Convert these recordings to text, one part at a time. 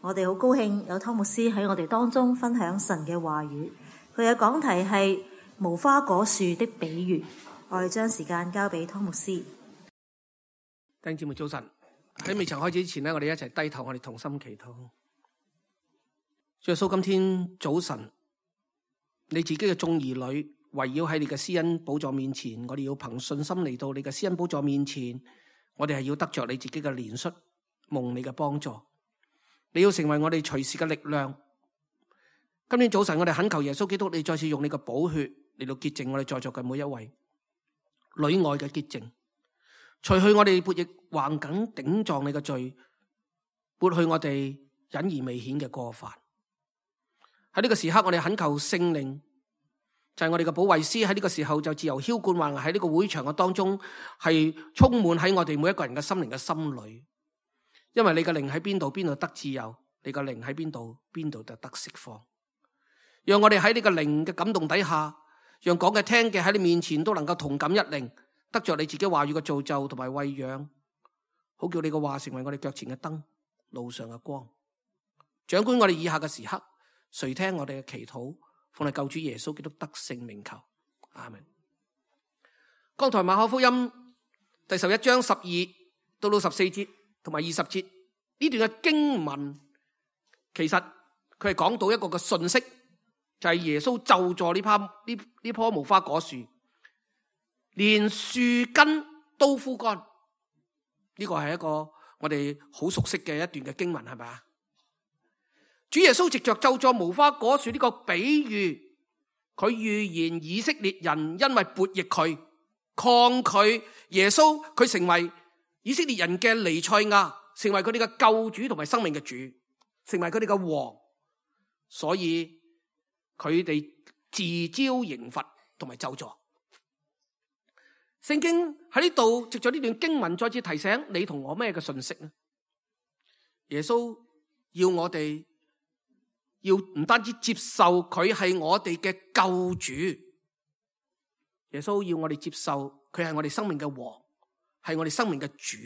我哋好高興有湯牧師喺我哋當中分享神嘅話語。佢嘅講題係無花果樹的比喻。我哋將時間交俾湯牧師。弟兄姊妹早晨，喺未曾開始之前呢，我哋一齊低頭，我哋同心祈禱。主耶穌，今天早晨，你自己嘅眾兒女圍繞喺你嘅施恩寶座面前，我哋要憑信心嚟到你嘅施恩寶座面前，我哋係要得着你自己嘅憐恤，蒙你嘅幫助。你要成為我哋隨時嘅力量。今天早晨我哋懇求耶穌基督，你再次用你嘅寶血嚟到潔淨我哋在座嘅每一位裏外嘅潔淨，除去我哋悖逆橫梗頂撞你嘅罪，撥去我哋隱而未顯嘅過犯。喺呢個時刻，我哋懇求聖靈，就係我哋嘅保惠師，喺呢個時候就自由澆灌，還喺呢個會場嘅當中，係充滿喺我哋每一個人嘅心靈嘅心裏。因為你嘅靈喺邊度，邊度得自由；你嘅靈喺邊度，邊度就得釋放。讓我哋喺你嘅靈嘅感動底下，讓講嘅聽嘅喺你面前都能夠同感一靈，得着你自己話語嘅造就同埋餵養，好叫你嘅話成為我哋腳前嘅燈，路上嘅光。掌管我哋以下嘅時刻，垂聽我哋嘅祈禱，奉你救主耶穌基督得勝名求，阿們。剛才馬可福音第11章12到14節同埋20節呢段嘅經文，其實佢係講到一個嘅信息，就係耶穌咒詛呢棵無花果樹，連樹根都枯乾。呢個係一個我哋好熟悉嘅一段嘅經文，係咪啊？主耶穌藉着咒詛無花果樹呢個比喻，佢預言以色列人因為悖逆佢、抗拒耶穌，佢成為以色列人嘅彌賽亞，成為佢哋嘅救主同埋生命嘅主，成為佢哋嘅王，所以佢哋自招刑罰同埋咒詛。聖經喺呢度藉着呢段經文再次提醒你同我咩嘅信息呢？耶穌要我哋要唔單止接受佢係我哋嘅救主，耶穌要我哋接受佢係我哋生命嘅王，係我哋生命嘅主。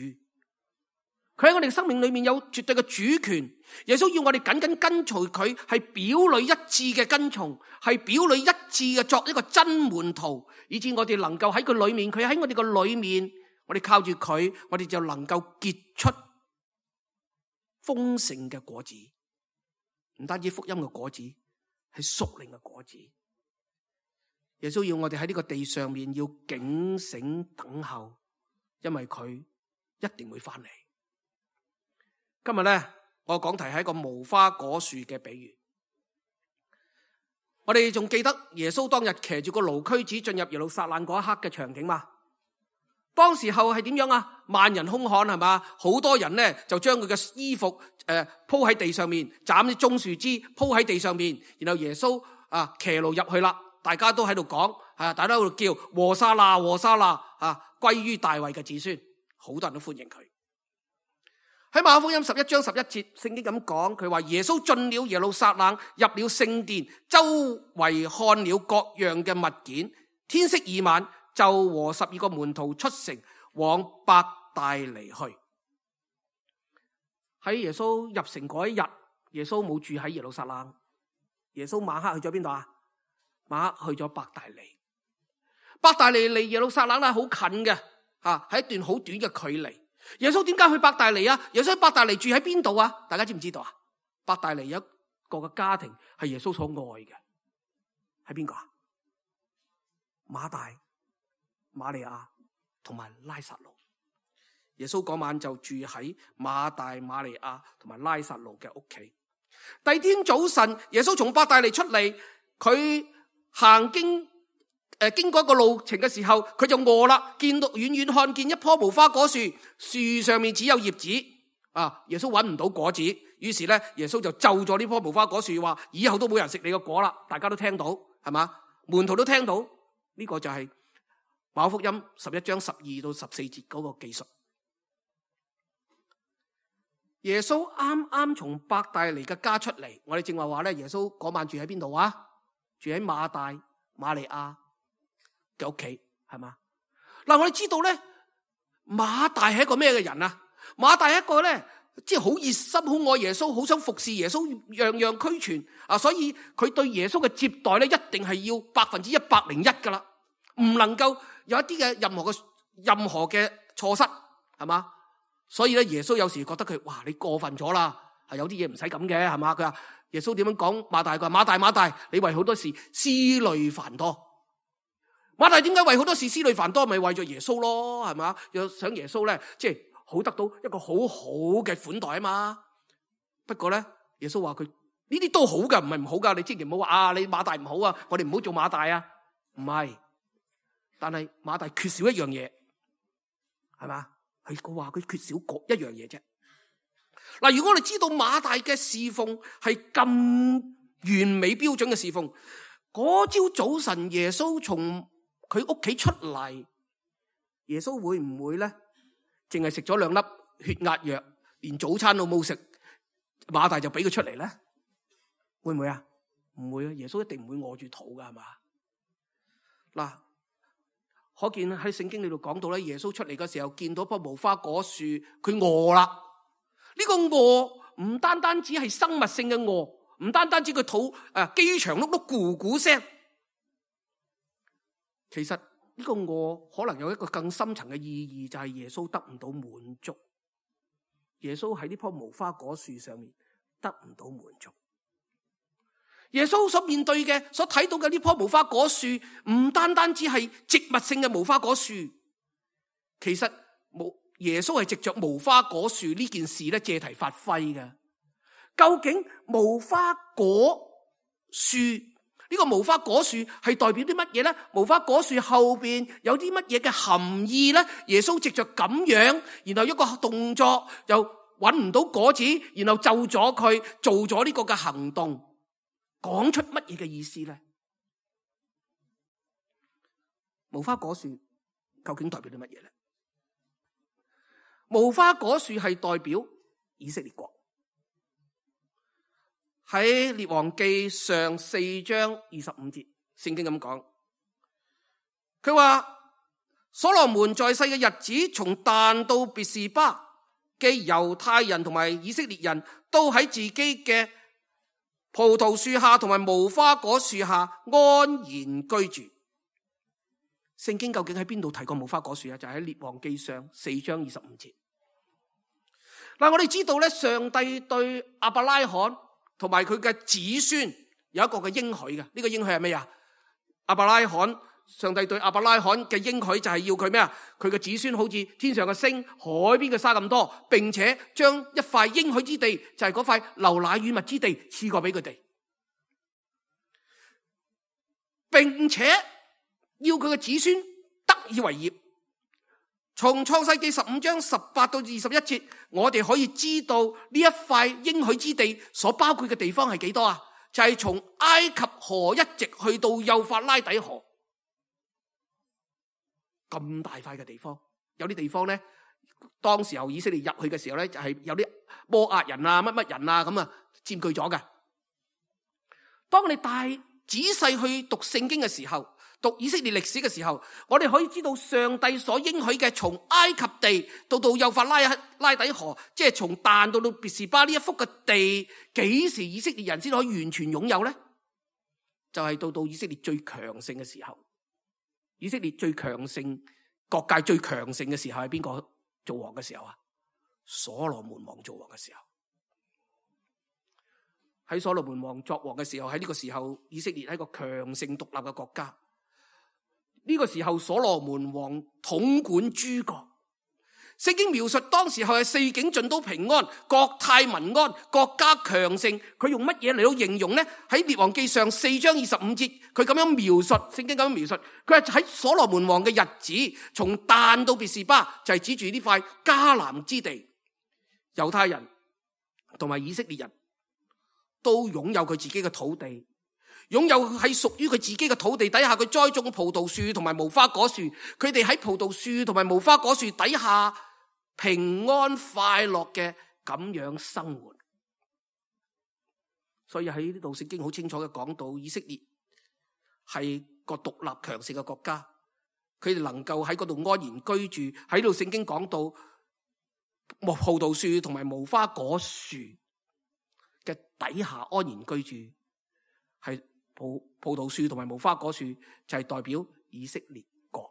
佢喺我哋生命裏面有絕對嘅主權。耶穌要我哋緊緊跟隨佢，係表裏一致嘅跟從，係表裏一致嘅作一個真門徒，以致我哋能夠喺佢裏面，佢喺我哋個裏面，我哋靠住佢，我哋就能夠結出豐盛嘅果子。唔單止福音嘅果子，係屬靈嘅果子。耶穌要我哋喺呢個地上面要警醒等候，因為佢一定會翻嚟。今日咧，我講題係一個無花果樹嘅比喻。我哋仲記得耶穌當日騎住個驢駒子進入耶路撒冷嗰一刻嘅場景嘛？當時候係點樣啊？萬人空巷係嘛？好多人咧就將佢嘅衣服鋪喺地上面，斬啲棕樹枝鋪喺地上面，然後耶穌騎驢入去啦，大家都喺度講，大家都喺度叫和散那和散那歸於大衛嘅子孫，好多人都歡迎佢。喺馬可福音11章11節，聖經咁講，佢話耶穌進了耶路撒冷，入了聖殿，周圍看了各樣嘅物件。天色已晚，就和12個門徒出城往伯大尼去。喺耶穌入城嗰一日，耶穌冇住喺耶路撒冷，耶穌晚黑去咗邊度啊？晚黑去咗伯大尼。伯大尼離耶路撒冷係好近嘅，係一段好短嘅距離。耶穌點解去伯大尼啊？耶穌喺伯大尼住喺邊度啊？大家知唔知道啊？伯大尼有一個嘅家庭係耶穌所愛嘅，係邊個啊？馬大、馬利亞同埋拉撒路。耶穌嗰晚就住喺馬大、馬利亞同埋拉撒路嘅屋企。第二天早晨，耶穌從伯大尼出嚟，佢經過一個路程嘅時候，佢就餓啦，見到遠遠看見一棵無花果樹，樹上面只有葉子，耶穌搵唔到果子，於是咧耶穌就咒咗呢棵無花果樹，話以後都冇人食你個果啦。大家都聽到係嘛？門徒都聽到，呢個就係馬可福音11章12到14節嗰個記述。耶穌啱啱從伯大尼嘅家出嚟，我哋正話咧，耶穌嗰晚住喺邊度啊？住喺馬大、馬利亞嘅屋企，係嘛？嗱，我哋知道咧，馬大係一個咩嘅人啊？馬大係一個咧即係好熱心，好愛耶穌，好想服侍耶穌，樣樣俱全啊！所以佢對耶穌嘅接待咧，一定係要101%噶啦，唔能夠有一啲嘅任何嘅錯失，係嘛？所以咧，耶穌有時覺得佢，哇，你過分咗啦，係有啲嘢唔使咁嘅，係嘛？佢話耶穌點樣講馬大？佢話馬大，你為好多事思慮繁多。馬大點解為好多事思慮繁多？咪為咗耶穌咯，係嘛？又想耶穌咧，即係好得到一個好好嘅款待啊嘛。不過咧，耶穌話佢呢啲都好噶，唔係唔好噶。你千祈唔好話啊，你馬大唔好啊，我哋唔好做馬大啊。唔係，但係馬大缺少一樣嘢，係嘛？佢話佢缺少一樣嘢啫。嗱，如果我哋知道馬大嘅侍奉係咁完美標準嘅侍奉，嗰朝早晨耶穌從佢屋企出嚟，耶穌會唔會咧淨係食咗2粒血壓藥，連早餐都冇食，馬大就俾佢出嚟咧？會唔會啊？唔會啊！耶穌一定唔會餓住肚噶，係嘛？嗱，可見喺聖經裏度講到咧，耶穌出嚟嘅時候見到棵無花果樹，佢餓啦。呢個餓唔單單只係生物性嘅餓，唔單單只佢肚飢腸轆轆咕咕聲。其實呢個餓可能有一個更深層嘅意義，就係耶穌得唔到滿足。耶穌喺呢棵無花果樹上面得唔到滿足。耶穌所面對嘅、所睇到嘅呢棵無花果樹，唔單單只係植物性嘅無花果樹，其實耶穌係藉着無花果樹呢件事咧借題發揮嘅。究竟無花果樹呢個無花果樹係代表啲乜嘢咧？無花果樹後邊有啲乜嘢嘅含義咧？耶穌藉着咁樣，然後一個動作又搵唔到果子，然後咒咗佢做咗呢個嘅行動。講出乜嘢嘅意思咧？無花果樹究竟代表啲乜嘢咧？無花果樹係代表以色列國。喺列王記上4章25節，聖經咁講，佢話所羅門在世嘅日子，從但到別是巴嘅猶太人同埋以色列人都喺自己嘅葡萄樹下同埋無花果樹下安然居住。聖經究竟喺邊度提過無花果樹啊？就喺列王記上4章25節。嗱，我哋知道咧，上帝對亞伯拉罕同埋佢嘅子孫有一個嘅應許嘅。呢個應許係咩啊？亞伯拉罕，上帝對亞伯拉罕嘅應許就係要佢咩啊？佢嘅子孫好似天上嘅星、海邊嘅沙咁多，並且將一塊應許之地，就係嗰塊流奶與蜜之地賜過俾佢哋，並且要佢嘅子孫得以為業。從創世記15章18到21節，我哋可以知道呢一塊應許之地所包括嘅地方係幾多啊？就係從埃及河一直去到幼發拉底河，咁大塊嘅地方。有啲地方咧，當時候以色列入去嘅時候咧，就係有啲摩押人啊、乜乜人啊咁啊佔據咗嘅。當我哋仔細去讀聖經嘅時候，讀以色列歷史嘅時候，我哋可以知道上帝所應許嘅從埃及地到幼發拉底河，即係從但到別是巴呢一幅嘅地，幾時以色列人先可以完全擁有呢？就係到以色列最強盛嘅時候。以色列最強盛，各界最強盛嘅時候係邊個做王嘅時候啊？所羅門王做王嘅時候。喺所羅門王作王嘅時候，喺呢個時候以色列係一個強盛獨立嘅國家。呢個時候所羅門王統管諸國。聖經描述當時候係四境盡都平安，國泰民安，國家強盛。佢用乜嘢嚟到形容呢？喺列王記上4章25節，佢咁樣描述，聖經咁樣描述，佢係喺所羅門王嘅日子，從但到別是巴，就係指住呢塊迦南之地，猶太人同埋以色列人都擁有佢自己嘅土地，擁有係屬於佢自己嘅土地底下，佢栽種葡萄樹同埋無花果樹，佢哋喺葡萄樹同埋無花果樹底下平安快樂嘅咁樣生活。所以喺呢度聖經好清楚嘅講到，以色列係個獨立強盛嘅國家，佢哋能夠喺嗰度安然居住。喺度聖經講到葡萄樹同埋無花果樹嘅底下安然居住，係葡萄樹同埋無花果樹就係代表以色列國。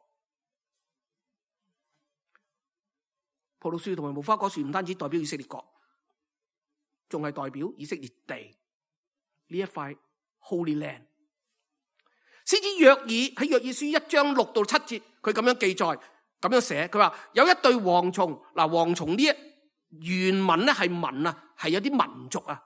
葡萄樹同埋無花果樹唔單止代表以色列國，仲係代表以色列地呢一塊 Holy Land。先知約珥喺約珥書1章6到7節，佢咁樣記載，咁樣寫，佢話有一對蝗蟲，嗱，蝗蟲呢原文咧係民啊，係有啲民族啊。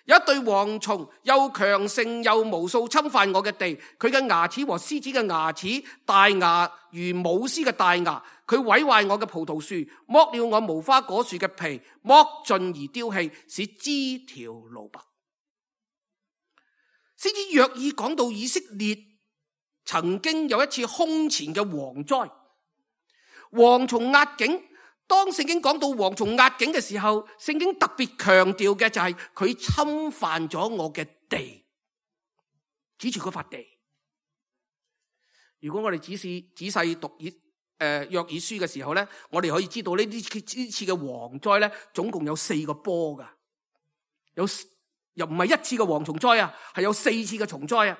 有一對蝗蟲又強盛又無數侵犯我嘅地，佢嘅牙齒和獅子嘅牙齒，大牙如母獅嘅大牙，佢毀壞我嘅葡萄樹，剝了我無花果樹嘅皮，剝盡而丟棄，使枝條露白。先知約珥講到以色列曾經有一次空前嘅蝗災，蝗蟲壓境。當聖經講到蝗蟲壓境嘅時候，聖經特別強調嘅就係佢侵犯咗我嘅地，指住嗰塊地。如果我哋仔細讀約珥書嘅時候咧，我哋可以知道呢次嘅蝗災咧，總共有4個波噶，又唔係一次嘅蝗蟲災啊，係有4次嘅蟲災啊。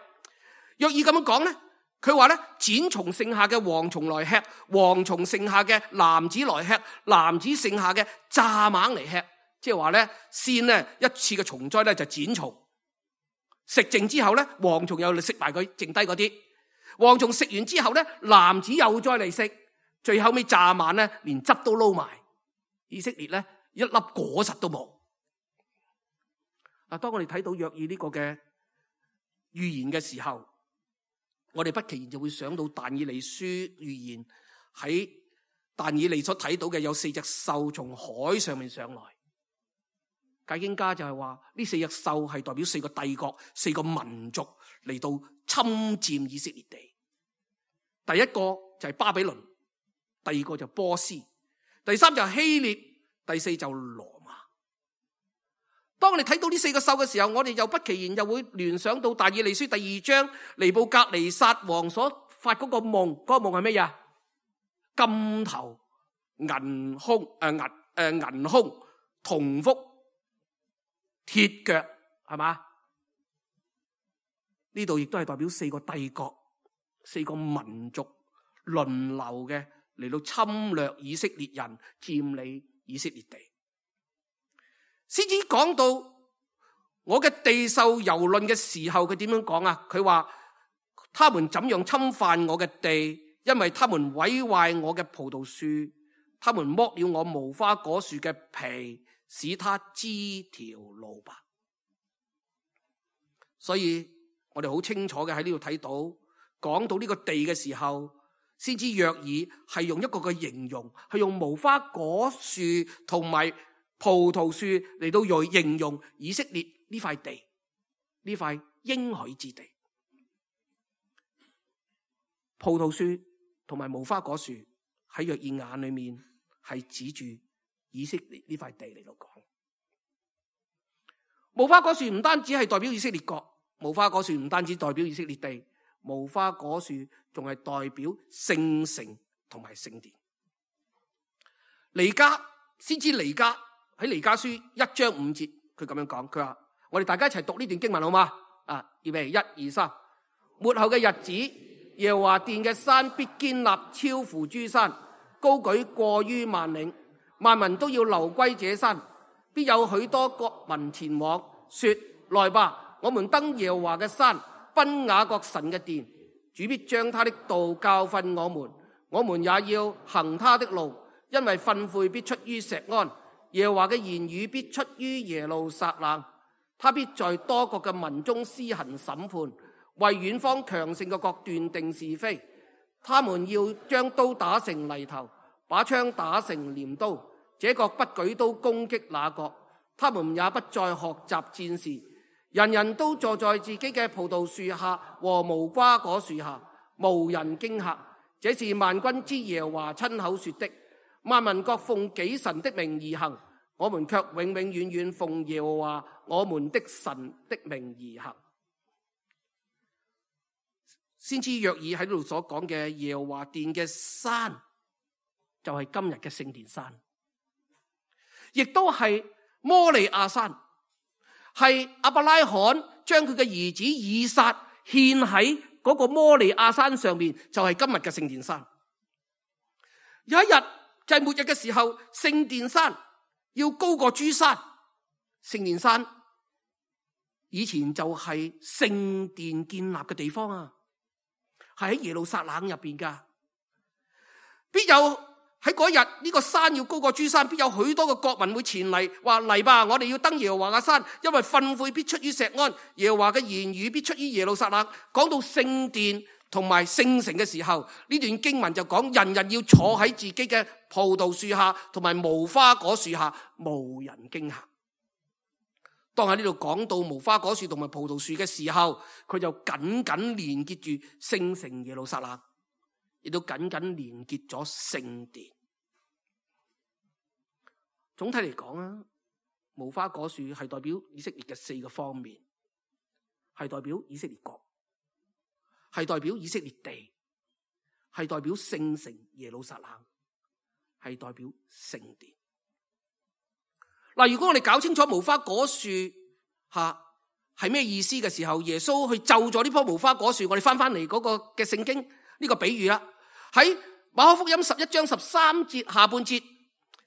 約珥咁樣講咧。佢話咧，剪蟲剩下嘅蝗蟲來吃，蝗蟲剩下嘅蝻子來吃，蝻子剩下嘅蚱蜢嚟吃。即係話咧，先咧一次嘅蟲災咧就剪蟲，食剩之後咧，蝗蟲又食埋佢剩低嗰啲。蝗蟲食完之後咧，蝻子又再嚟食，最後尾蚱蜢咧連汁都撈埋。以色列咧一粒果實都冇。當我哋睇到約珥呢個嘅預言嘅時候，我哋不期然就會想到但以理書預言喺但以理所睇到嘅有4隻獸從海上面上來。解經家就係話呢4隻獸係代表4個帝國、4個民族嚟到侵佔以色列地。第一個就係巴比倫，第二個就波斯，第3就係希臘，第4就羅馬。當我哋睇到呢4個獸嘅時候，我哋又不期然又會聯想到但以理書第2章尼布甲尼撒王所發嗰個夢，嗰個夢係咩嘢？金頭銀胸銀胸銅腹鐵腳，係嘛？呢度亦都係代表4個帝國、4個民族輪流嘅嚟到侵略以色列人，佔領以色列地。先至講到我嘅地受蹂躪嘅時候，佢點樣講啊？佢話他們怎樣侵犯我嘅地，因為他們毀壞我嘅葡萄樹，他們剝了我無花果樹嘅皮，使它枝條露白。所以我哋好清楚嘅喺呢度睇到，講到呢個地嘅時候，先知約珥係用一個嘅形容，係用無花果樹同埋葡萄樹嚟到形容以色列呢塊地，呢塊應許之地。葡萄樹同埋無花果樹喺約珥眼裏面係指住以色列呢塊地嚟到講。無花果樹唔單止係代表以色列國，無花果樹唔單止代表以色列地，無花果樹仲係代表聖城同埋聖殿。彌迦先知彌迦喺彌迦書1章5節，佢咁樣講，佢話我哋大家一齊讀呢段經文好嗎？預備1、2、3。末後嘅日子，耶和華殿嘅山必堅立超乎諸山，高舉過於萬嶺，萬民都要流歸這山。必有許多國民前往，說：來吧，我們登耶和華嘅山，奔雅各神嘅殿。主必將他的道教訓我們，我們也要行他的路，因為訓誨必出於錫安，耶和華嘅言語必出於耶路撒冷。他必在多國嘅民中施行審判，為遠方強盛嘅國斷定是非。他們要將刀打成犁頭，把槍打成鐮刀。這國不舉刀攻擊那國，他們也不再學習戰事。人人都坐在自己嘅葡萄樹下和無花果樹下，無人驚嚇。這是萬軍之耶和華親口說的。萬民各奉己神的名而行，我們卻永永遠遠奉耶和華我們的神的名而行。先知約珥喺呢度所講嘅耶和華殿嘅山，就係今日嘅聖殿山。亦都係摩利亞山，係亞伯拉罕將佢嘅兒子以撒獻喺嗰個摩利亞山上面，就係今日嘅聖殿山。有一日就係末日嘅時候，聖殿山要高過諸山。聖殿山以前就係聖殿建立嘅地方啊，係喺耶路撒冷入邊噶。必有喺嗰日呢個山要高過諸山，必有許多嘅國民會前嚟，話嚟吧，我哋要登耶和華嘅山，因為訓誨必出於錫安，耶和華嘅言語必出於耶路撒冷。講到聖殿同埋聖城嘅時候，呢段經文就講人人要坐喺自己嘅葡萄樹下同埋無花果樹下，無人驚嚇。當喺呢度講到無花果樹同埋葡萄樹嘅時候，佢就緊緊連結住聖城耶路撒冷，亦都緊緊連結咗聖殿。總體嚟講啊，無花果樹係代表以色列嘅4個方面，係代表以色列國，係代表以色列地，係代表聖城耶路撒冷，係代表聖殿。嗱，如果我哋搞清楚無花果樹係咩意思嘅時候，耶穌去咒咗呢棵無花果樹，我哋翻嚟嗰個嘅聖經呢個比喻啦，喺馬可福音11章13節下半節，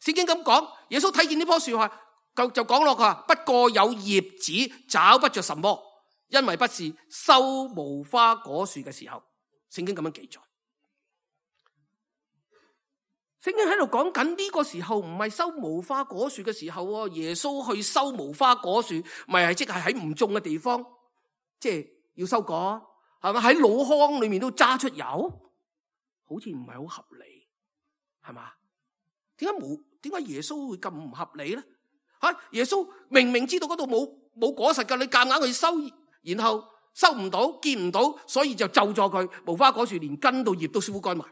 聖經咁講，耶穌睇見呢棵樹就講落佢話，不過有葉子找不着什麼，因為不是收無花果樹嘅時候。聖經咁樣記載。聖經喺度講緊呢個時候唔係收無花果樹嘅時候，耶穌去收無花果樹，咪係即係喺唔種嘅地方，即係要收果，係咪喺老糠裏面都揸出油？好似唔係好合理，係嘛？點解耶穌會咁唔合理咧？耶穌明明知道嗰度冇果實噶，你夾硬去收，然後收唔到，見唔到，所以就咒咗佢無花果樹連根到葉都枯乾埋。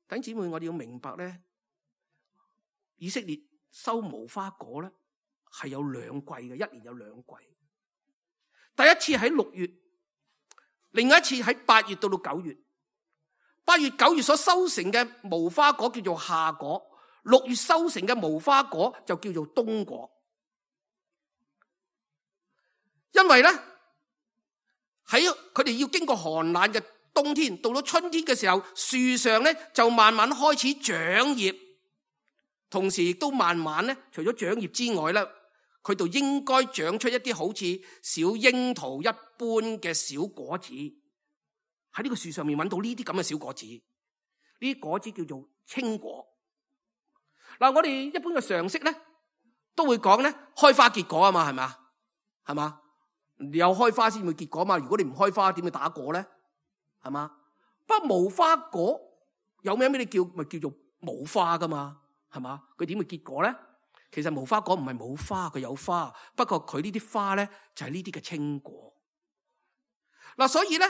弟兄姊妹，我哋要明白咧，以色列收無花果咧係有2季嘅，一年有2季。第一次喺6月，另外一次喺8月到9月。8月、9月所收成嘅無花果叫做夏果，6月收成嘅無花果就叫做冬果。因為咧喺佢哋要經過寒冷嘅冬天，到咗春天嘅時候，樹上咧就慢慢開始長葉，同時亦都慢慢咧，除咗長葉之外咧，佢就應該長出一啲好似小櫻桃一般嘅小果子。喺呢個樹上面揾到呢啲咁嘅小果子，呢啲果子叫做青果。嗱，我哋一般嘅常識咧，都會講咧開花結果啊嘛，係咪？係嘛？有開花先會結果嘛。如果你唔開花，點會打果咧？係嘛？不過無花果有咩你叫咪叫做冇花噶嘛？係嘛？佢點會結果咧？其實無花果唔係冇花，佢有花，不過佢呢啲花咧就係呢啲嘅青果。嗱，所以咧，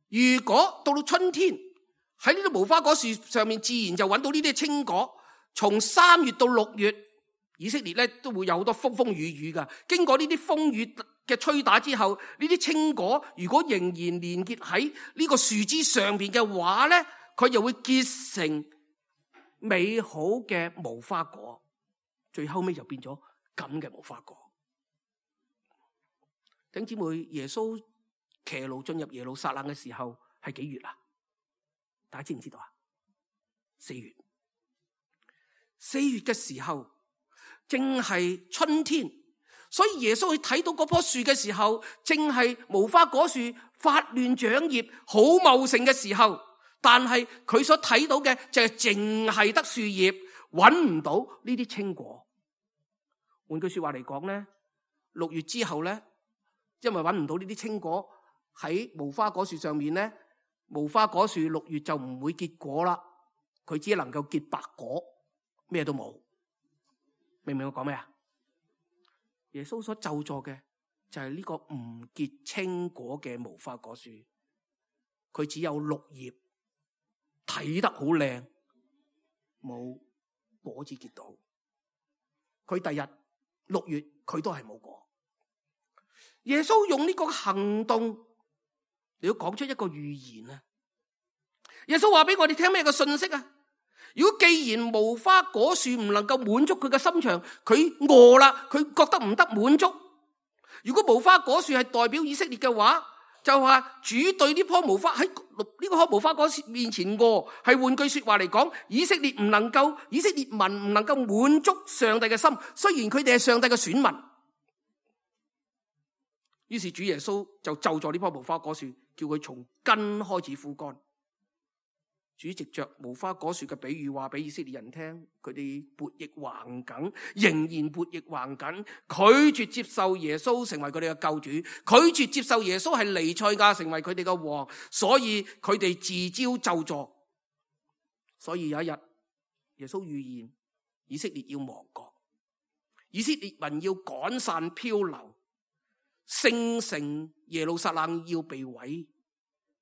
如果到春天喺呢啲無花果樹上面，自然就揾到呢啲青果。從3月到6月，以色列咧都會有好多風風雨雨噶。經過呢啲風雨嘅吹打之後，呢啲青果如果仍然連結喺呢個樹枝上邊嘅話咧，佢又會結成美好嘅無花果，最後尾就變咗咁嘅無花果。弟兄姊妹，耶穌騎驢進入耶路撒冷嘅時候係幾月啊？大家知唔知道啊？4月。4月嘅時候正係春天，所以耶穌去睇到嗰棵樹嘅時候，正係無花果樹發亂長葉好茂盛嘅時候，但係佢所睇到嘅就係淨係得樹葉，揾唔到呢啲青果。換句說話嚟講咧，6月之後咧，因為揾唔到呢啲青果喺無花果樹上面咧，無花果樹6月就唔會結果啦，佢只能夠結白果，咩都冇。明唔明我講咩啊？耶穌所咒詛嘅就係呢個唔結青果嘅無花果樹，佢只有綠葉，睇得好靚，冇果子結到。佢第日6月佢都係冇果。耶穌用呢個行動嚟要講出一個預言啊！耶穌話俾我哋聽咩個信息啊？如果既然無花果樹唔能夠滿足佢嘅心腸，佢餓啦，佢覺得唔得滿足。如果無花果樹係代表以色列嘅話，就話主對呢棵無花喺呢棵無花果樹面前餓，係換句說話嚟講，以色列民唔能夠滿足上帝嘅心，雖然佢哋係上帝嘅選民。於是主耶穌就咒詛呢棵無花果樹，叫佢從根開始枯乾。主藉着無花果樹嘅比喻話俾以色列人聽，佢哋悖逆橫梗，仍然悖逆橫梗，拒絕接受耶穌成為佢哋嘅救主，拒絕接受耶穌係彌賽亞成為佢哋嘅王，所以佢哋自招咒詛。所以有一日，耶穌預言以色列要亡國，以色列民要趕散漂流，聖城耶路撒冷要被毀，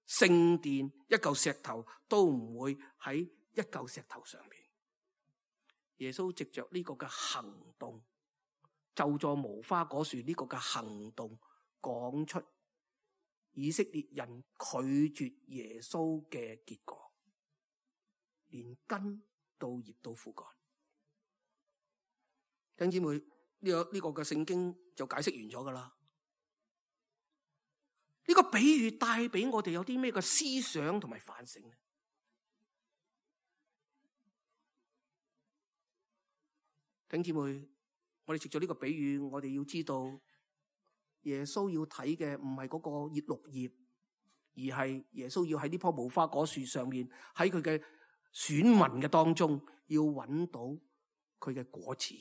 聖殿一嚿石頭都唔會喺一嚿石頭上面。耶穌藉着呢個嘅行動，咒詛無花果樹呢個嘅行動，講出以色列人拒絕耶穌嘅結果，連根到葉都枯乾。弟兄姊妹，呢個嘅聖經就解釋完咗噶啦。呢個比喻帶俾我哋有啲咩嘅思想同埋反省呢？弟兄姊妹，我哋藉咗呢個比喻，我哋要知道耶穌要睇嘅唔係嗰個葉綠葉，而係耶穌要喺呢棵無花果樹上面，喺佢嘅選民嘅當中，要揾到佢嘅果子，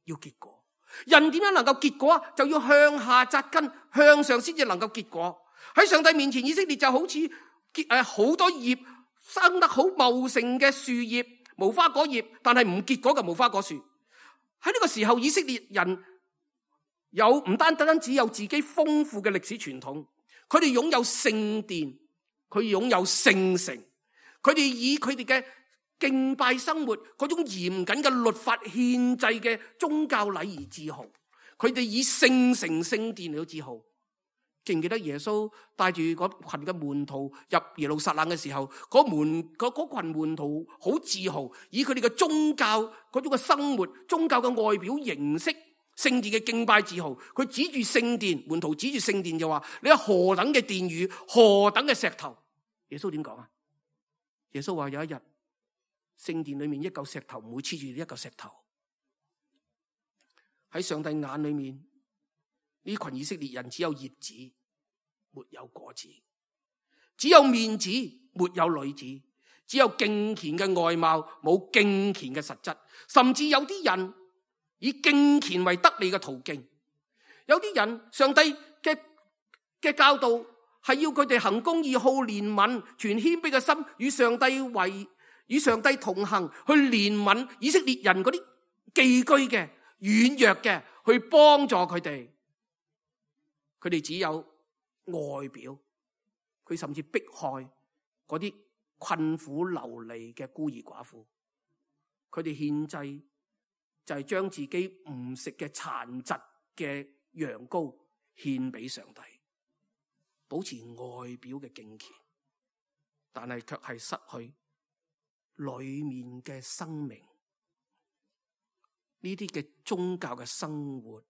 要結果。人點樣能夠結果啊？就要向下扎根，向上先至能夠結果。喺上帝面前，以色列就好似好多葉生得好茂盛嘅樹葉、無花果葉，但係唔結果嘅無花果樹。喺呢個時候，以色列人唔單止有自己豐富嘅歷史傳統，佢哋擁有聖殿，佢擁有聖城，佢哋以佢哋嘅敬拜生活嗰種嚴謹嘅律法憲制嘅宗教禮儀自豪，佢哋以聖城聖殿嚟自豪。記唔記得耶穌帶住嗰群嘅門徒入耶路撒冷嘅時候，嗰群門徒好自豪，以佢哋嘅宗教嗰種嘅生活、宗教嘅外表形式、聖殿嘅敬拜自豪。佢指住聖殿，門徒指住聖殿就話：你有何等嘅殿宇，何等嘅石頭。耶穌點講啊？耶穌話有一日，聖殿裏面一嚿石頭唔會黐住一嚿石頭。喺上帝眼裏面，呢群以色列人只有葉子，沒有果子；只有面子，沒有女子；只有敬虔嘅外貌，冇敬虔嘅實質。甚至有啲人以敬虔為得利嘅途徑。有啲人，上帝嘅教導係要佢哋行公義、好憐憫、存謙卑嘅心，與上帝同行，去憐憫以色列人嗰啲寄居嘅、軟弱嘅，去幫助佢哋。佢哋只有外表，佢甚至迫害嗰啲困苦流離嘅孤兒寡婦。佢哋獻祭就係將自己唔食嘅殘疾嘅羊羔獻俾上帝，保持外表嘅敬虔，但係卻係失去裏面嘅生命。呢啲嘅宗教嘅生活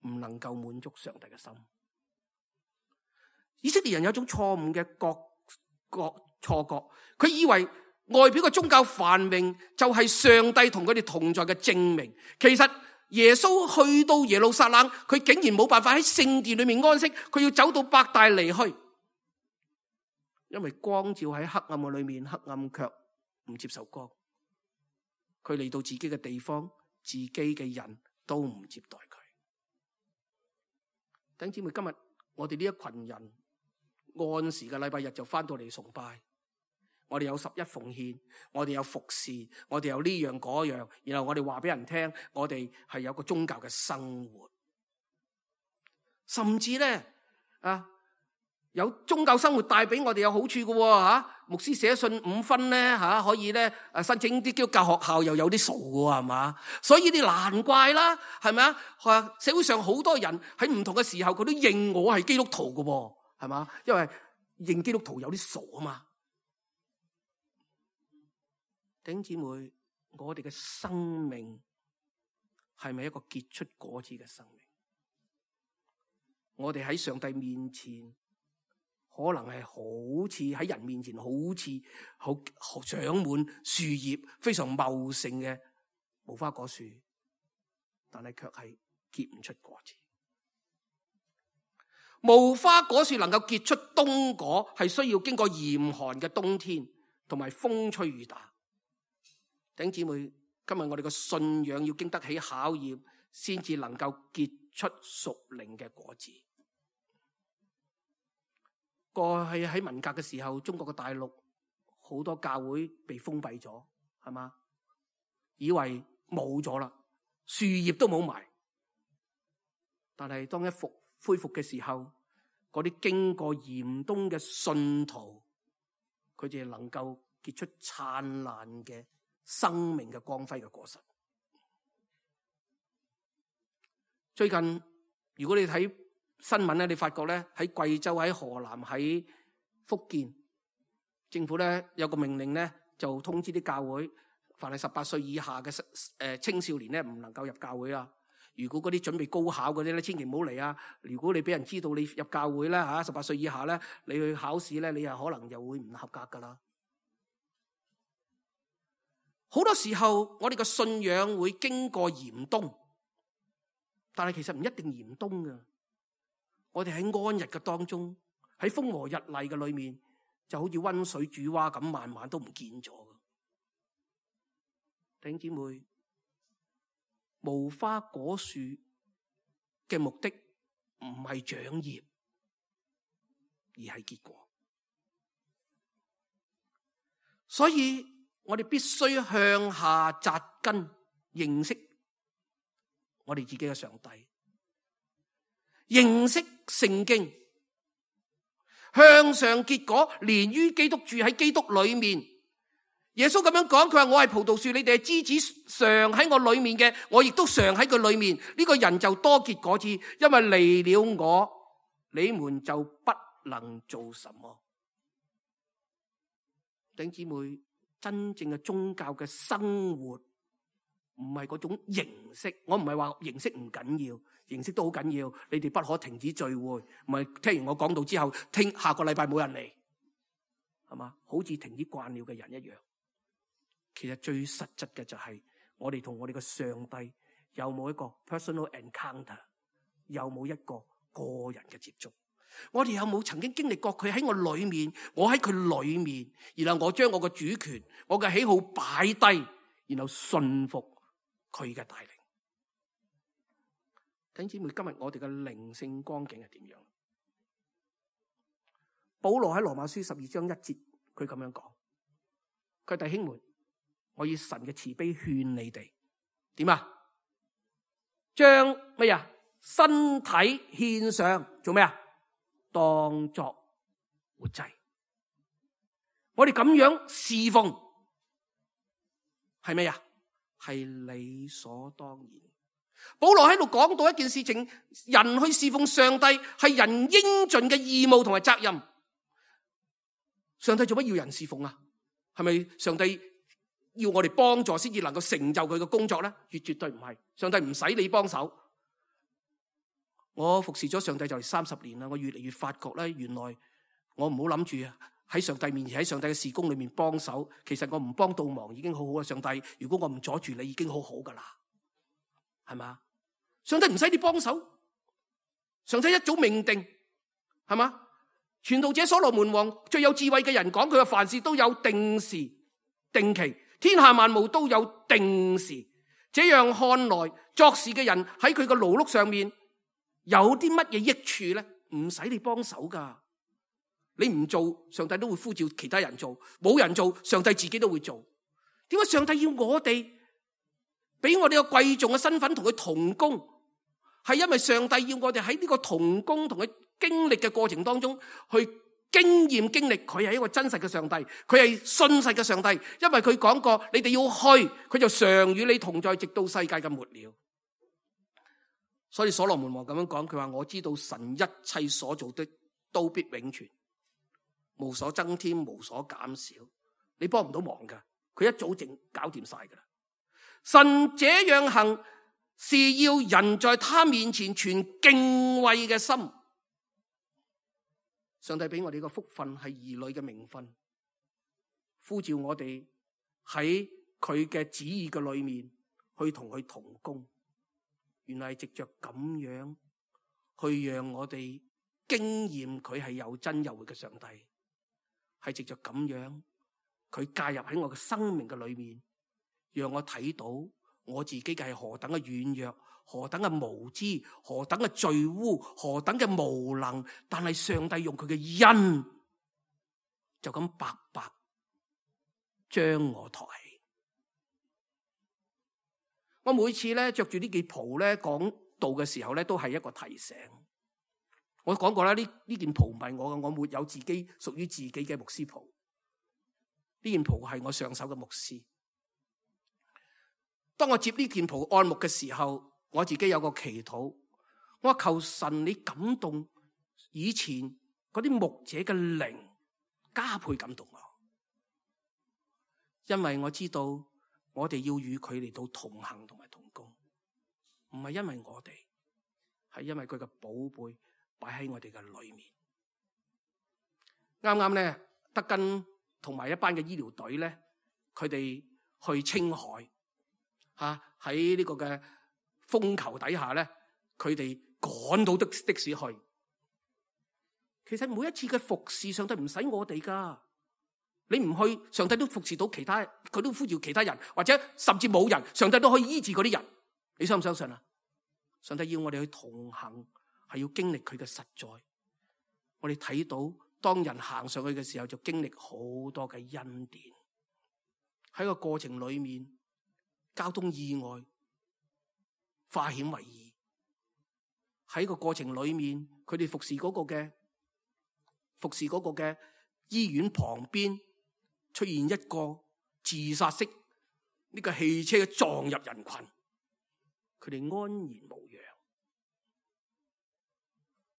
唔能夠滿足上帝嘅心。以色列人有一種錯誤嘅錯覺，佢以為外表嘅宗教繁榮就係上帝同佢哋同在嘅證明。其實耶穌去到耶路撒冷，佢竟然冇辦法喺聖殿裏面安息，佢要走到伯大尼去，因為光照喺黑暗嘅裏面，黑暗卻唔接受光。佢嚟到自己嘅地方，自己嘅人都唔接待佢。弟兄姊妹，今日我哋呢一群人按時嘅禮拜日就翻到嚟崇拜，我哋有11奉獻，我哋有服侍，我哋有呢樣嗰樣，然後我哋話俾人聽，我哋係有個宗教嘅生活，甚至咧有宗教生活帶俾我哋有好處嘅牧師寫信5分咧可以咧申請啲基督教學校又有啲數嘅係嘛？所以你難怪啦，係咪啊？社會上好多人喺唔同嘅時候佢都認我係基督徒嘅，係嘛？因為認基督徒有啲數啊嘛。弟兄姊妹，我哋嘅生命係咪一個結出果子嘅生命？我哋喺上帝面前，可能係好似喺人面前好似好長滿樹葉，非常茂盛嘅無花果樹，但係卻係結唔出果子。無花果樹能夠結出冬果，係需要經過嚴寒嘅冬天同埋風吹雨打。弟兄姊妹，今日我哋嘅信仰要經得起考驗，先至能夠結出屬靈嘅果子。過去喺文革嘅時候，中國嘅大陸好多教會被封閉咗，係嘛？以為冇咗啦，樹葉都冇埋。但係當恢復嘅時候，嗰啲經過嚴冬嘅信徒，佢哋能夠結出燦爛嘅生命嘅光輝嘅果實。最近如果你睇新聞咧，你發覺咧喺貴州、喺河南、喺福建，政府咧有個命令咧，就通知啲教會，凡係18歲以下嘅青少年咧，唔能夠入教會啊。如果嗰啲準備高考嗰啲咧，千祈唔好嚟啊！如果你俾人知道你入教會咧18歲以下咧，你去考試咧，你又可能又會唔合格噶啦。好多時候我哋嘅信仰會經過嚴冬，但係其實唔一定嚴冬噶。我哋喺安逸嘅當中，喺風和日麗嘅裏面，就好似溫水煮蛙咁，慢慢都唔見咗。弟兄姊妹，無花果樹嘅目的唔係長葉，而係結果。所以我哋必須向下扎根，認識我哋自己嘅上帝，認識聖經，向上結果，連於基督，住喺基督裏面。耶穌咁樣講，佢話我係葡萄樹，你哋係枝子，常喺我裏面嘅，我亦都常喺佢裏面。呢個人就多結果子，因為離了我，你們就不能做什麼。弟兄姊妹，真正嘅宗教嘅生活唔係嗰種形式，我唔係話形式唔緊要，形式都好緊要。你哋不可停止聚會，唔係聽完我講道之後，下個禮拜冇人嚟，係嘛？好似停止慣了嘅人一樣。其實最實質嘅就係我哋同我哋嘅上帝有冇一個 personal encounter， 有冇一個個人嘅接觸。我哋有冇曾經經歷過佢喺我裏面，我喺佢裏面，然後我將我嘅主權、我嘅喜好擺低，然後順服佢嘅帶領。弟兄姊妹，今日我哋嘅靈性光景係點樣？保羅喺羅馬書12章1節，佢咁樣講：佢弟兄們，我以神嘅慈悲勸你哋，點啊？將乜嘢？身體獻上做咩啊？當作活祭。我哋咁樣侍奉係咩啊？係理所當然。保羅喺度講到一件事情，人去侍奉上帝係人應盡嘅義務同埋責任。上帝做乜要人侍奉啊？係咪上帝要我哋幫助先至能夠成就佢嘅工作咧？絕對唔係。上帝唔使你幫手。我服侍咗上帝就嚟30年啦，我越嚟越發覺咧，原來我唔好諗住喺上帝面前，喺上帝嘅事工裏面幫手。其實我唔幫倒忙已經好好啦。上帝，如果我唔阻住你，已經好好噶啦，係嘛？上帝唔使你幫手，上帝一早命定，係嘛？傳道者所羅門王最有智慧嘅人講，佢話凡事都有定時定期，天下萬物都有定時。這樣看來，作事嘅人喺佢嘅勞碌上面有啲乜嘢益處咧？唔使你幫手噶，你唔做，上帝都會呼召其他人做；冇人做，上帝自己都會做。點解上帝要我哋俾我哋個貴重嘅身份同佢同工？係因為上帝要我哋喺呢個同工同佢經歷嘅過程當中，去經歷佢係一個真實嘅上帝，佢係信實嘅上帝。因為佢講過，你哋要去，佢就常與你同在，直到世界嘅末了。所以所羅門王咁樣講，佢話我知道神一切所做的都必永存，無所增添，無所減少。你幫唔到忙噶，佢一早淨搞掂晒噶啦。神這樣行，是要人在他面前存敬畏嘅心。上帝俾我哋嘅福分係兒女嘅名分，呼召我哋喺佢嘅旨意嘅裏面去同佢同工。原來係藉着咁樣去讓我哋經驗佢係有真有活嘅上帝，係藉着咁樣佢介入喺我嘅生命嘅裏面，讓我睇到我自己嘅係何等嘅軟弱，何等嘅無知，何等嘅罪污，何等嘅無能，但係上帝用佢嘅恩就咁白白將我抬起。我每次咧着住呢件袍咧講道嘅時候咧，都係一個提醒。我講過啦，呢件袍唔係我嘅，我沒有自己屬於自己嘅牧師袍。呢件袍係我上手嘅牧師。當我接呢件袍按牧嘅時候，我自己有個祈禱，我求神你感動以前嗰啲牧者嘅靈，加倍感動我，因為我知道我哋要與佢嚟到同行同埋同工，唔係因為我哋，係因為佢嘅寶貝擺喺我哋嘅裏面。啱啱咧，德根同埋一班嘅醫療隊咧，佢哋去青海喺呢個嘅風球底下咧，佢哋趕到的士去。其實每一次嘅服侍，上帝唔使我哋噶，你唔去，上帝都服侍到其他，佢都呼召其他人，或者甚至冇人，上帝都可以醫治嗰啲人。你相唔相信啊？上帝要我哋去同行，係要經歷佢嘅實在。我哋睇到當人行上去嘅時候，就經歷好多嘅恩典。喺個過程裏面，交通意外化險為夷。喺個過程裏面，佢哋服侍嗰個嘅醫院旁邊出現一個自殺式呢個汽車撞入人群，佢哋安然無恙。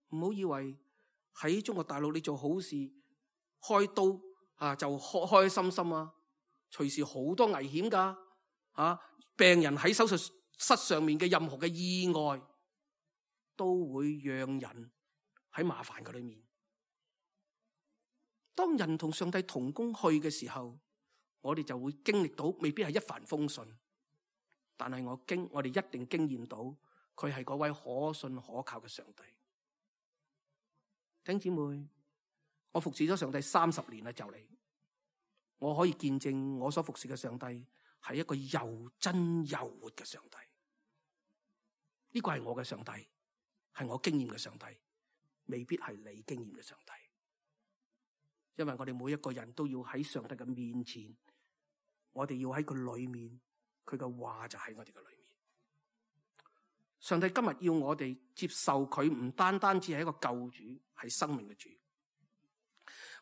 唔好以為喺中國大陸你做好事開刀就開開心心啊，隨時好多危險噶病人喺手術室上面嘅任何嘅意外，都會讓人喺麻煩嘅裏面。當人同上帝同工去嘅時候，我哋就會經歷到，未必係一帆風順，但係我哋一定經驗到佢係嗰位可信可靠嘅上帝。弟兄姊妹，我服侍咗上帝30年啦，就嚟，我可以見證我所服侍嘅上帝係一個又真又活嘅上帝。呢個係我嘅上帝，係我經驗嘅上帝，未必係你經驗嘅上帝。因為我哋每一個人都要喺上帝嘅面前，我哋要喺佢裏面，佢嘅話就喺我哋嘅裏面。上帝今日要我哋接受佢，唔單單只係一個救主，係生命嘅主。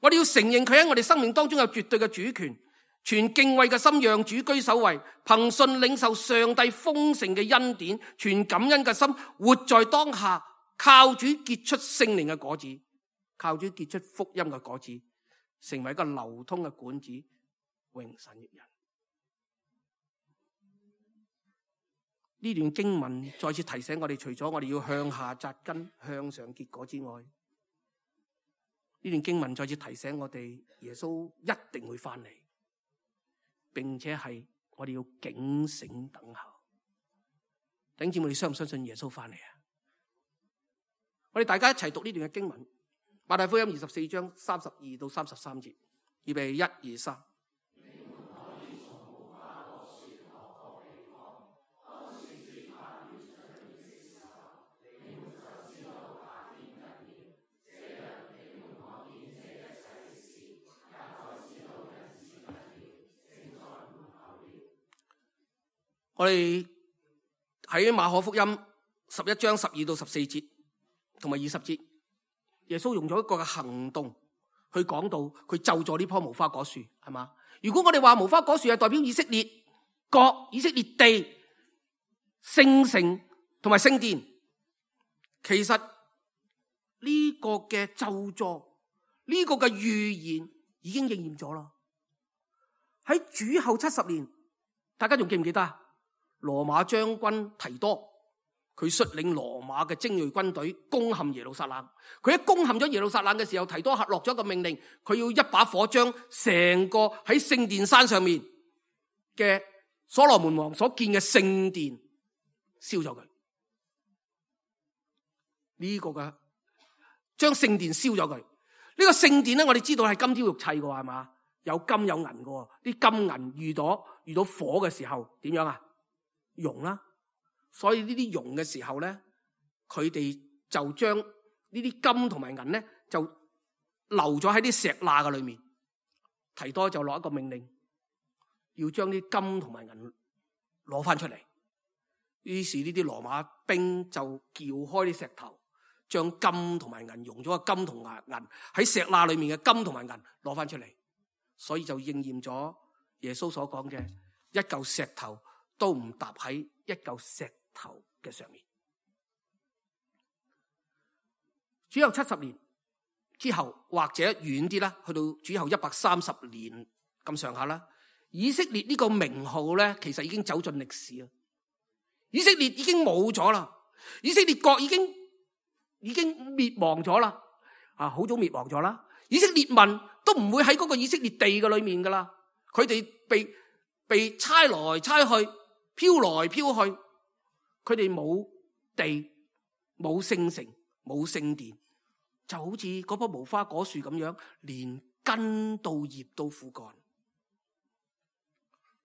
我哋要承認佢喺我哋生命當中有絕對嘅主權，存敬畏嘅心讓主居首位，憑信領受上帝豐盛嘅恩典，存感恩嘅心活在當下，靠主結出聖靈嘅果子，靠主結出福音嘅果子，成為一個流通嘅管子，榮神益人。呢段經文再次提醒我哋，除咗我哋要向下扎根、向上結果之外，呢段經文再次提醒我哋，耶穌一定會翻嚟，並且係我哋要警醒等候。弟兄姊妹，你相唔相信耶穌翻嚟啊？我哋大家一齊讀呢段嘅經文，馬太福音24章32到33節，預備1、2、3。我哋喺馬可福音11章12到14節同埋20節，耶穌用咗一個嘅行動去講到佢咒詛呢棵無花果樹，係嘛？如果我哋話無花果樹係代表以色列國、以色列地、聖城同埋聖殿，其實呢個嘅咒詛、呢個嘅預言已經應驗咗啦。喺主後70年，大家仲記唔記得啊？羅馬將軍提多，佢率領羅馬嘅精銳軍隊攻陷耶路撒冷。佢一攻陷咗耶路撒冷嘅時候，提多落咗一個命令，佢要一把火將成個喺聖殿山上面嘅所羅門王所建嘅聖殿燒咗佢。呢個嘅將聖殿燒咗佢。呢個聖殿咧，我哋知道係金雕玉砌嘅，係嘛？有金有銀嘅，啲金銀遇到火嘅時候點樣啊？熔啦。所以呢啲熔嘅時候咧，佢哋就將呢啲金同埋銀咧就留咗喺啲石罅嘅裏面。提多就落一個命令，要將啲金同埋銀攞翻出嚟。於是呢啲羅馬兵就撬開啲石頭，將金同埋銀熔咗個金同銀喺石罅裏面嘅金同埋銀攞翻出嚟。所以就應驗咗耶穌所講嘅，一嚿石頭都唔搭喺一嚿石頭嘅上面。主後70年之後，或者遠啲啦，去到主後130年咁上下啦，以色列呢個名號咧，其實已經走進歷史啦。以色列已經冇咗啦，以色列國已經滅亡咗啦，好早滅亡咗啦。以色列民都唔會喺嗰個以色列地嘅裏面噶啦，佢哋被差來差去，飄來飄去，佢哋冇地，冇聖城，冇聖殿，就好似嗰棵無花果樹咁樣，連根到葉都枯乾。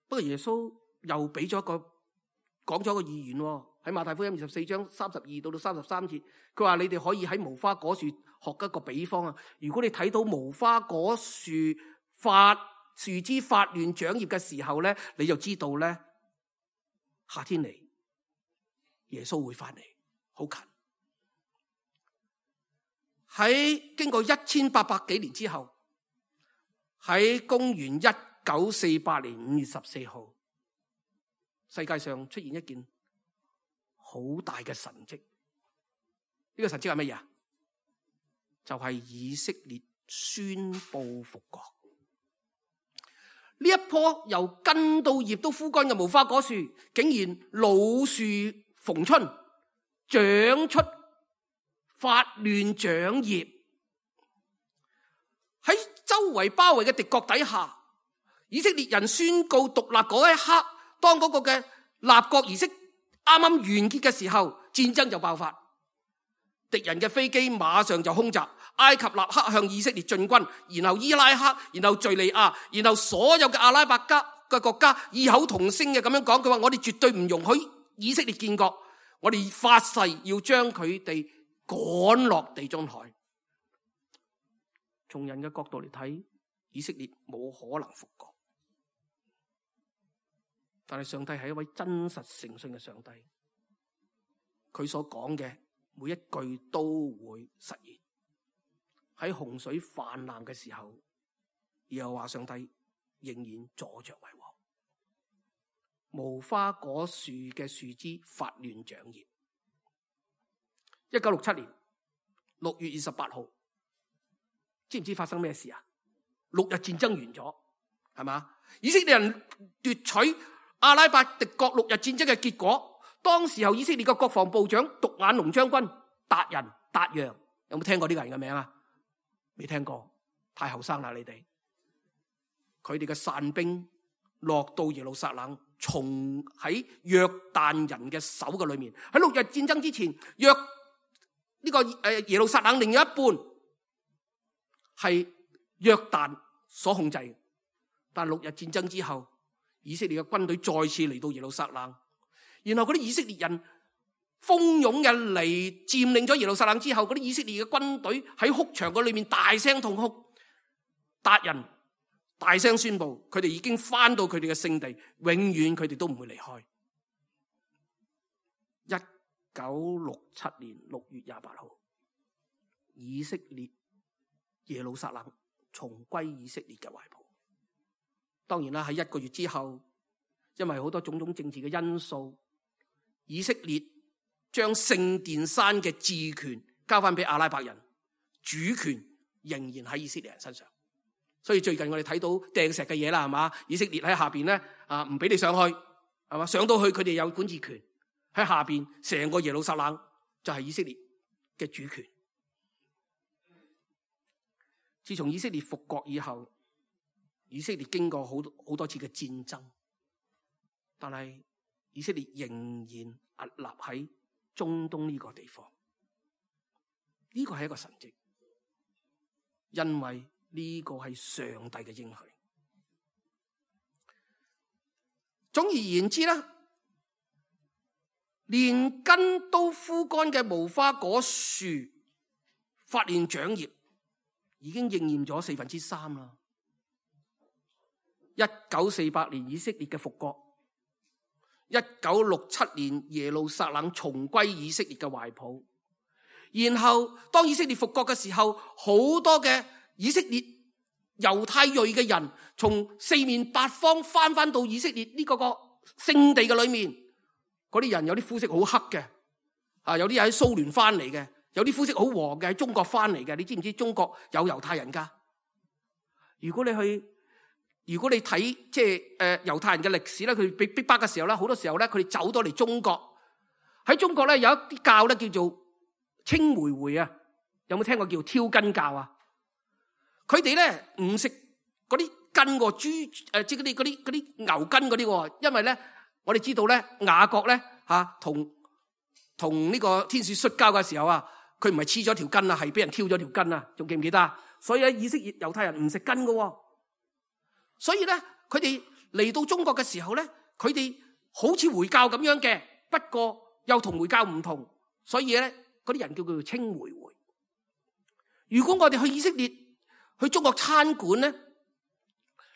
不過耶穌又俾咗講咗個預言喎，喺馬太福音24章32到33節，佢話你哋可以喺無花果樹學一個比方啊。如果你睇到無花果樹樹枝發亂長葉嘅時候咧，你就知道咧，夏天嚟，耶穌會翻嚟，好近。喺經過1800幾年之後，喺公元1948年5月14號，世界上出現一件好大嘅神蹟。呢個神蹟係乜嘢啊？就係以色列宣布復國。呢一棵由根到葉都枯乾嘅無花果樹，竟然老樹逢春，長出發亂長葉。喺周圍包圍嘅敵國底下，以色列人宣告獨立嗰一刻，當嗰個嘅立國儀式啱啱完結嘅時候，戰爭就爆發。敵人嘅飛機馬上就空襲，埃及立刻向以色列進軍，然後伊拉克，然後敘利亞，然後所有嘅阿拉伯嘅國家異口同聲嘅咁樣講，佢話我哋絕對唔容許以色列建國，我哋發誓要將佢哋趕落地中海。從人嘅角度嚟睇，以色列冇可能復國，但係上帝係一位真實誠信嘅上帝，佢所講嘅每一句都會實現。喺洪水泛濫嘅時候，耶和華上帝仍然坐着為王。無花果樹嘅樹枝發亂長葉。1967年6月28號，知唔知發生咩事啊？6日戰爭完咗，係嘛？以色列人奪取阿拉伯敵國6日戰爭嘅結果。當時候以色列嘅國防部長獨眼龍將軍達人達揚，有冇聽過呢個人嘅名啊？未聽過，太後生啦你哋。佢哋嘅散兵落到耶路撒冷，從喺約旦人嘅手嘅裏面。喺6日戰爭之前，耶路撒冷另一半係約旦所控制，但6日戰爭之後，以色列嘅軍隊再次嚟到耶路撒冷。然後嗰啲以色列人蜂擁嘅嚟佔領咗耶路撒冷之後，嗰啲以色列嘅軍隊喺哭牆嗰裏面大聲痛哭。達人大聲宣布，佢哋已經翻到佢哋嘅聖地，永遠佢哋都唔會離開。1967年6月28號，以色列耶路撒冷重歸以色列嘅懷抱。當然啦，喺1個月之後，因為好多種種政治嘅因素，以色列將聖殿山嘅治權交翻俾阿拉伯人，主權仍然喺以色列人身上。所以最近我哋睇到掟石嘅嘢啦，係嘛？以色列喺下邊咧唔俾你上去，係嘛？上到去佢哋有管治權，喺下邊成個耶路撒冷就係以色列嘅主權。自從以色列復國以後，以色列經過好多次嘅戰爭，但係以色列仍然屹立喺中東呢個地方。呢個係一個神蹟，因為呢個係上帝嘅應許。總而言之啦，連根都枯乾嘅無花果樹發現長葉，已經應驗咗3/4啦。1948年以色列嘅復國，1967年耶路撒冷重歸以色列嘅懷抱。然後當以色列復國嘅時候，好多嘅以色列猶太裔嘅人從四面八方翻到以色列呢個聖地嘅裏面。嗰啲人有啲膚色好黑嘅，有啲喺蘇聯翻嚟嘅，有啲膚色好黃嘅喺中國翻嚟嘅。你知唔知中國有猶太人噶？如果你睇即係猶太人嘅歷史咧，佢被逼迫嘅時候咧，好多時候咧佢哋走到嚟中國。喺中國咧有一啲教咧叫做清回回啊，有冇聽過叫挑筋教啊？佢哋咧唔食嗰啲筋喎，豬即係嗰啲牛筋嗰啲喎，因為咧我哋知道咧雅各咧同呢個天使摔跤嘅時候啊，佢唔係黐咗條筋啊，係俾人挑咗條筋啊，仲記唔記得啊？所以喺以色列猶太人唔食筋㗎喎，所以咧佢哋嚟到中國嘅時候咧，佢哋好似回教咁樣嘅，不過又同回教唔同，所以咧嗰啲人叫佢做清回回。如果我哋去以色列去中國餐館咧，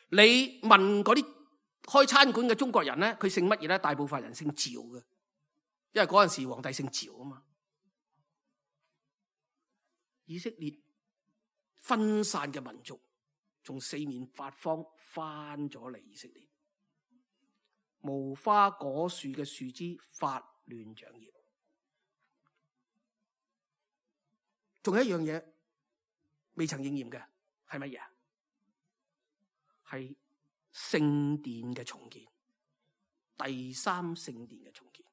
你問嗰啲開餐館嘅中國人咧，佢姓乜嘢咧？大部分人姓趙嘅，因為嗰陣時皇帝姓趙啊嘛。以色列分散嘅民族從四面八方翻咗嚟以色列，無花果樹嘅樹枝發亂長葉。仲有一樣嘢未曾應驗嘅係乜嘢？係聖殿嘅重建，第三聖殿嘅重建。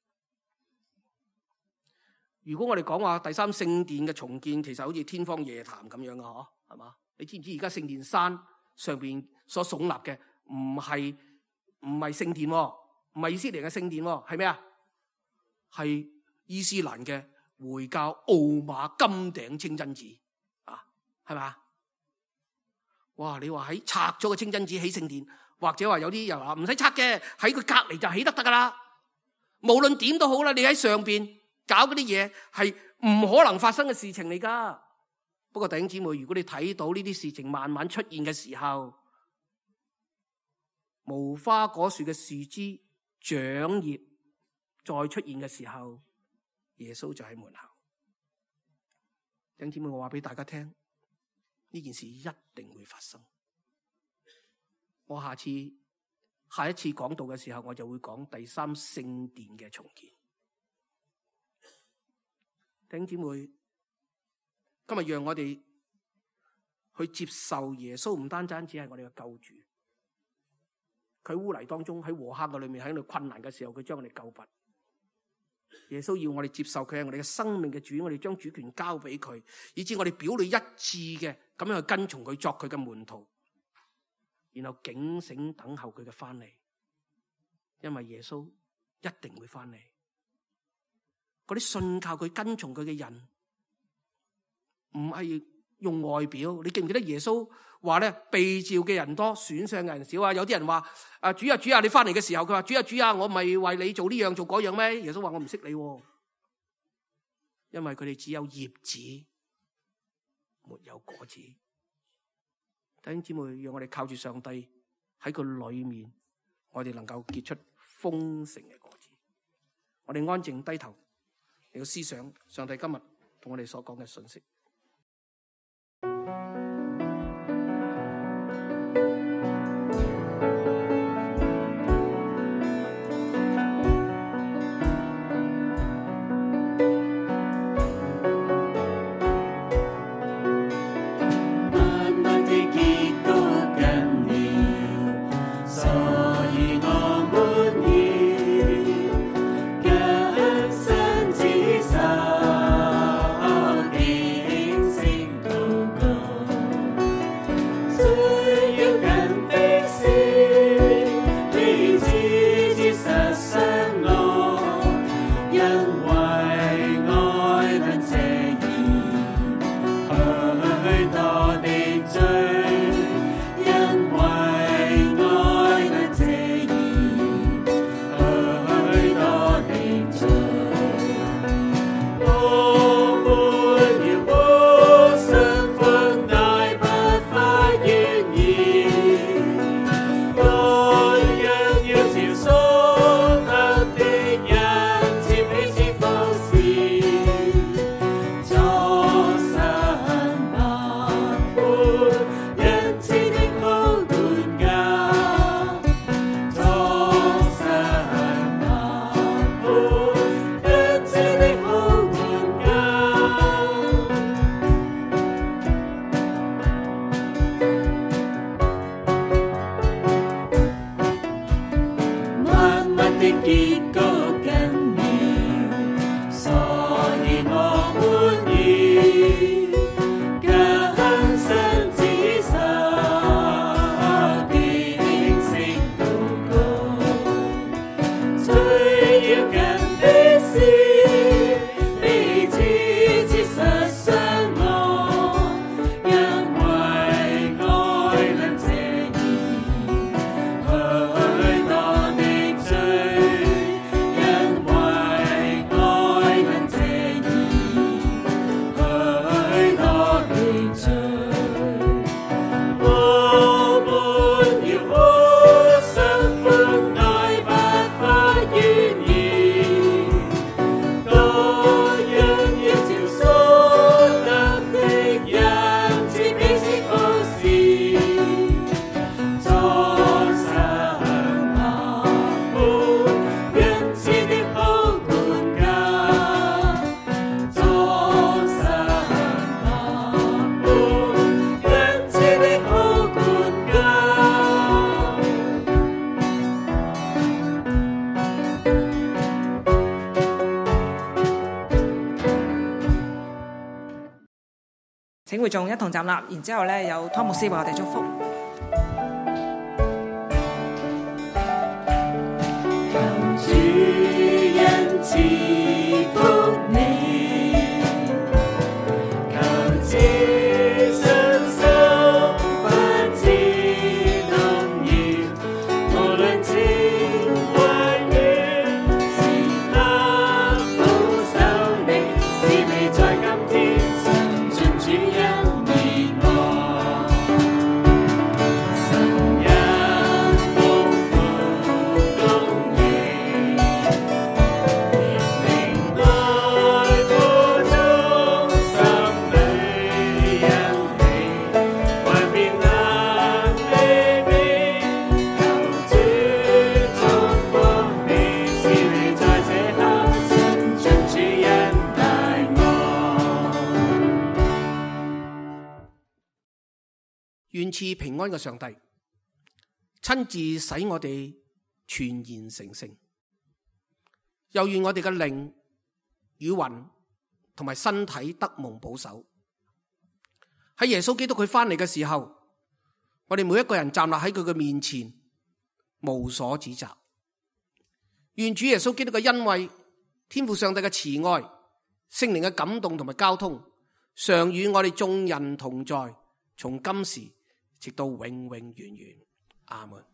如果我哋講話第三聖殿嘅重建，其實好似天方夜譚咁樣啊，係嘛？你知唔知而家聖殿山上邊所聳立嘅唔係聖殿，唔係以色列嘅聖殿，係咩啊？係伊斯蘭嘅回教奧馬金頂清真寺啊，係嘛？哇！你話喺拆咗個清真寺起聖殿，或者話有啲又話唔使拆嘅，喺佢隔籬就起得噶啦。無論點都好啦，你喺上邊搞嗰啲嘢係唔可能發生嘅事情嚟噶。不過弟兄姊妹，如果你睇到呢啲事情慢慢出現嘅時候，無花果樹嘅樹枝長葉再出現嘅時候，耶穌就喺門口。弟兄姊妹，我話俾大家聽，呢件事一定會發生。我下一次講道嘅時候，我就會講第三聖殿嘅重建。弟兄姊妹，今日讓我哋去接受耶穌，唔單單只係我哋嘅救主。佢污泥當中喺禾坑嘅裏面，喺度困難嘅時候，佢將我哋救拔。耶穌要我哋接受佢係我哋嘅生命嘅主，我哋將主權交俾佢，以致我哋表裏一致嘅咁樣去跟從佢，作佢嘅門徒，然後警醒等候佢嘅翻嚟。因為耶穌一定會翻嚟。嗰啲信靠佢、跟從佢嘅人，唔係用外表。你記唔記得耶穌話咧，被召嘅人多，選上嘅人少啊？有啲人話主啊主啊，你翻嚟嘅時候，佢話主啊主啊，我唔係為你做呢樣做嗰樣咩？耶穌話我唔識你，因為佢哋只有葉子，沒有果子。弟兄姊妹，讓我哋靠住上帝喺佢裏面，我哋能夠結出豐盛嘅果子。我哋安靜低頭，嚟到思想上帝今日同我哋所講嘅信息。慢慢地結果請會眾一同站立，然之後咧有湯牧師為我哋祝福。主恩賜福你，求知信心不知動搖，無論天或雨，時刻保守你，使你在今天伸盡主恩義愛，神恩豐富公義，明愛苦中心裏因你，還變冷卑微，求主祝福你，使你在這刻伸盡主恩大愛。願賜平安嘅上帝親自使我哋全然成聖，又願我哋嘅靈與魂同埋身體得蒙保守。喺耶穌基督佢翻嚟嘅時候，我哋每一個人站立喺佢嘅面前，無所指責。願主耶穌基督嘅恩惠、天父上帝嘅慈愛、聖靈嘅感動同埋交通，常與我哋眾人同在，從今時直到永永遠遠。阿門。